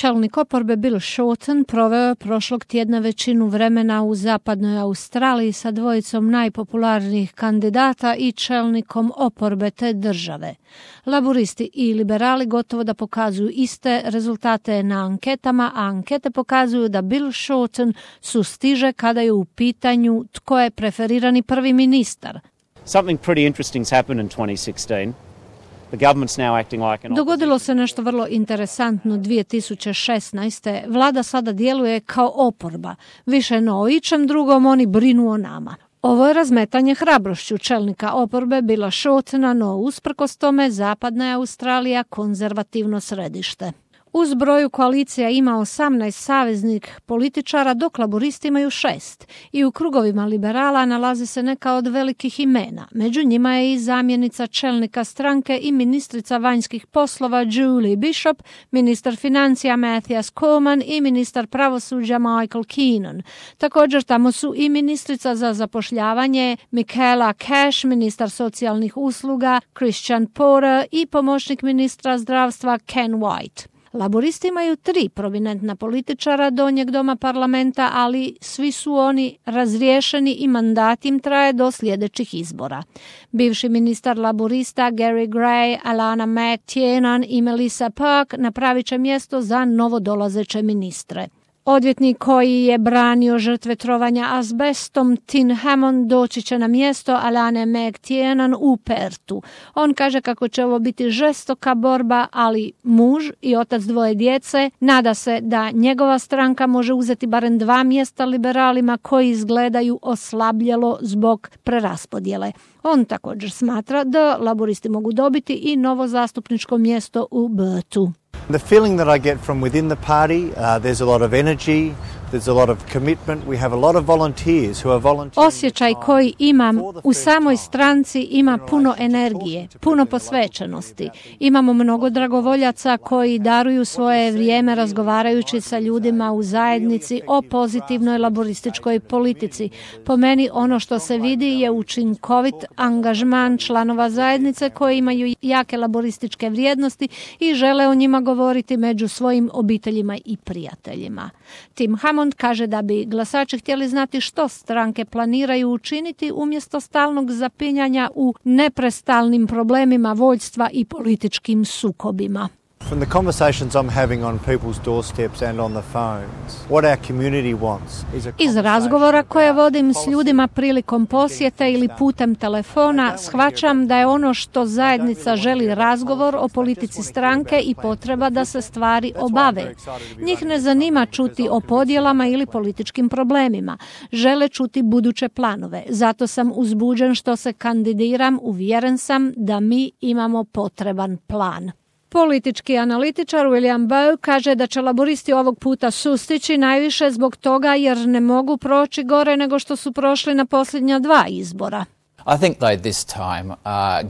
Čelnik oporbe Bill Shorten proveo je prošlog tjedna većinu vremena u zapadnoj Australiji sa dvojicom najpopularnijih kandidata i čelnikom oporbe te države. Laburisti i liberali gotovo da pokazuju iste rezultate na anketama, a ankete pokazuju da Bill Shorten sustiže kada je u pitanju tko je preferirani prvi ministar. Something pretty interesting's happened in 2016. Dogodilo se nešto vrlo interesantno 2016. Vlada sada djeluje kao oporba. Više no o ičem drugom oni brinu o nama. Ovo je razmetanje hrabrošću čelnika oporbe Billa Shortena, no usprkos tome zapadna je Australija konzervativno središte. U zbroju koalicija ima 18 saveznih političara, dok laboristi imaju 6. I u krugovima liberala nalaze se neka od velikih imena. Među njima je i zamjenica čelnika stranke i ministrica vanjskih poslova Julie Bishop, ministar financija Matthias Cormann i ministar pravosuđa Michael Keenan. Također tamo su i ministrica za zapošljavanje Michaela Cash, ministar socijalnih usluga Christian Porter i pomoćnik ministra zdravstva Ken White. Laboristi imaju 3 prominentna političara donjeg doma parlamenta, ali svi su oni razriješeni i mandat im traje do sljedećih izbora. Bivši ministar laborista Gary Gray, Alana McTiernan i Melissa Park napravit će mjesto za novodolazeće ministre. Odvjetnik koji je branio žrtve trovanja azbestom, Tim Hammond, doći će na mjesto Alane McTiernan u Pertu. On kaže kako će ovo biti žestoka borba, ali muž i otac 2 djece nada se da njegova stranka može uzeti barem 2 mjesta liberalima koji izgledaju oslabljelo zbog preraspodjele. On također smatra da laboristi mogu dobiti i novo zastupničko mjesto u Pertu. The feeling that I get from within the party, there's a lot of energy, there's a lot of commitment. We have a lot of volunteers who are volunteering. Osjećaj koji imam u samoj stranci ima puno energije, puno posvećenosti. Imamo mnogo dragovoljaca koji daruju svoje vrijeme razgovarajući sa ljudima u zajednici o pozitivnoj laborističkoj politici. Po meni ono što se vidi je učinkovit angažman članova zajednice koji imaju jake laborističke vrijednosti i žele o njima govoriti među svojim obiteljima i prijateljima. Tim Hammond kaže da bi glasači htjeli znati što stranke planiraju učiniti umjesto stalnog zapinjanja u neprestalnim problemima vođstva i političkim sukobima. From the conversations I'm having on people's doorsteps and on the phones, what our community wants is a Iz razgovora koje vodim s ljudima prilikom posjete ili putem telefona, shvaćam da je ono što zajednica želi razgovor o politici stranke i potreba da se stvari obave. Njih ne zanima čuti o podjelama ili političkim problemima. Žele čuti buduće planove. Zato sam uzbuđen što se kandidiram, uvjeren sam da mi imamo potreban plan. Politički analitičar William Bowe kaže da će laboristi ovog puta sustići najviše zbog toga jer ne mogu proći gore nego što su prošli na posljednja 2 izbora. I think though this time,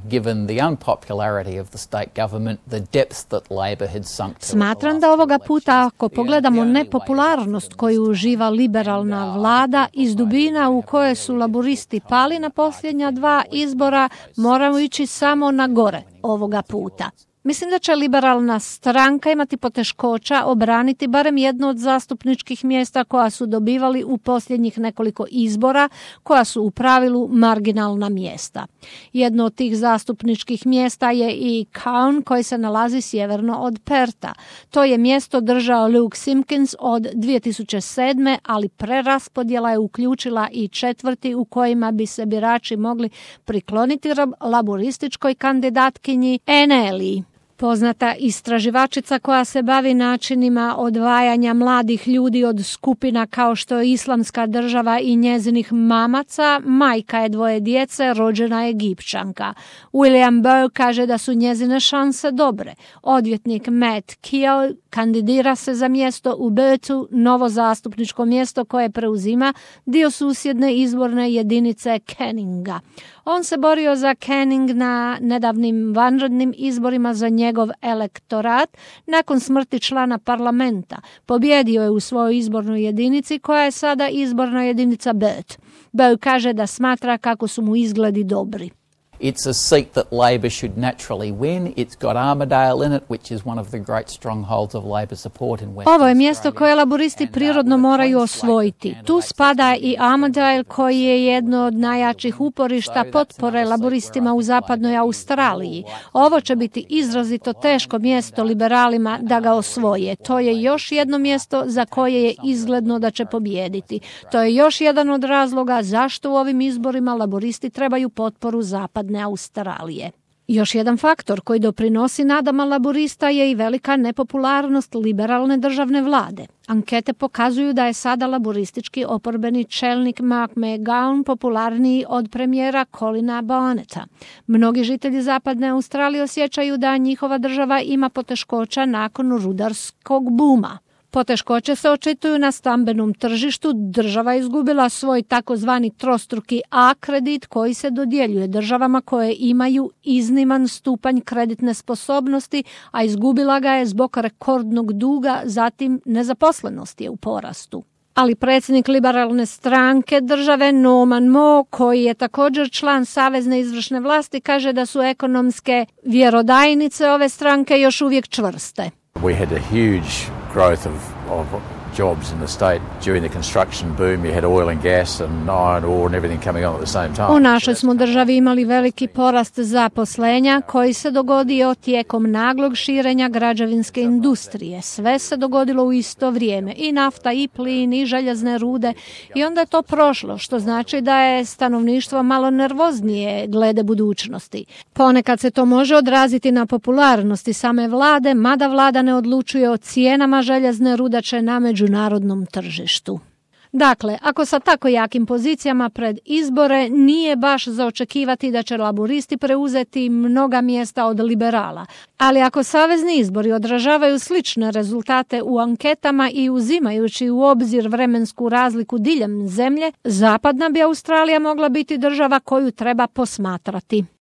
given the unpopularity of the state government, the depth that Labor had sunk to. Smatram da ovoga puta, ako pogledamo nepopularnost koju uživa liberalna vlada iz dubina u koje su laboristi pali na posljednja 2 izbora, moramo ići samo na gore ovoga puta. Mislim da će liberalna stranka imati poteškoća obraniti barem jedno od zastupničkih mjesta koja su dobivali u posljednjih nekoliko izbora, koja su u pravilu marginalna mjesta. Jedno od tih zastupničkih mjesta je i Cairn koji se nalazi sjeverno od Perta. To je mjesto držao Luke Simpkins od 2007. ali preraspodjela je uključila i četvrti u kojima bi se birači mogli prikloniti laborističkoj kandidatkinji Anneli. Poznata istraživačica koja se bavi načinima odvajanja mladih ljudi od skupina kao što je Islamska država i njezinih mamaca, majka je 2 djece, rođena Egipćanka. William Bowe kaže da su njezine šanse dobre. Odvjetnik Matt Keogh kandidira se za mjesto u Pertu, novo zastupničko mjesto koje preuzima dio susjedne izborne jedinice Canninga. On se borio za Canning na nedavnim vanrednim izborima za njegov elektorat nakon smrti člana parlamenta. Pobjedio je u svojoj izbornoj jedinici koja je sada izborna jedinica Bert. Bowe kaže da smatra kako su mu izgledi dobri. It's a seat that Labor should naturally win. It's got Armidale in it, which is one of the great strongholds of Labor support in Western Australia. Ovo je mjesto koje laboristi prirodno moraju osvojiti. Tu spada i Armidale koji je jedno od najjačih uporišta potpore laboristima u zapadnoj Australiji. Ovo će biti izrazito teško mjesto liberalima da ga osvoje. To je još jedno mjesto za koje je izgledno da će pobijediti. To je još jedan od razloga zašto u ovim izborima laboristi trebaju potporu zapadne Australije. Još jedan faktor koji doprinosi nadama laborista je i velika nepopularnost liberalne državne vlade. Ankete pokazuju da je sada laboristički oporbeni čelnik Mark McGowan popularniji od premijera Colina Barnetta. Mnogi žitelji zapadne Australije osjećaju da njihova država ima poteškoća nakon rudarskog buma. Poteškoće se očituju na stambenom tržištu. Država je izgubila svoj takozvani trostruki A kredit koji se dodjeljuje državama koje imaju izniman stupanj kreditne sposobnosti, a izgubila ga je zbog rekordnog duga, zatim nezaposlenost je u porastu. Ali predsjednik liberalne stranke države Norman Moore, koji je također član savezne izvršne vlasti, kaže da su ekonomske vjerodajnice ove stranke još uvijek čvrste. We had a huge growth of jobs in the state during the construction boom. You had oil and gas and iron ore and everything coming on at the same time. U našoj smo državi imali veliki porast zaposlenja koji se dogodio tijekom naglog širenja građevinske industrije. Sve se dogodilo u isto vrijeme, i nafta, i plin, i željezne rude, i onda je to prošlo, što znači da je stanovništvo malo nervoznije glede budućnosti. Ponekad se to može odraziti na popularnosti same vlade, mada vlada ne odlučuje o cijenama željezne rudače na međunarodnom tržištu. Dakle, ako sa tako jakim pozicijama pred izbore, nije baš za očekivati da će laboristi preuzeti mnoga mjesta od liberala. Ali ako savezni izbori odražavaju slične rezultate u anketama i uzimajući u obzir vremensku razliku diljem zemlje, zapadna bi Australija mogla biti država koju treba posmatrati.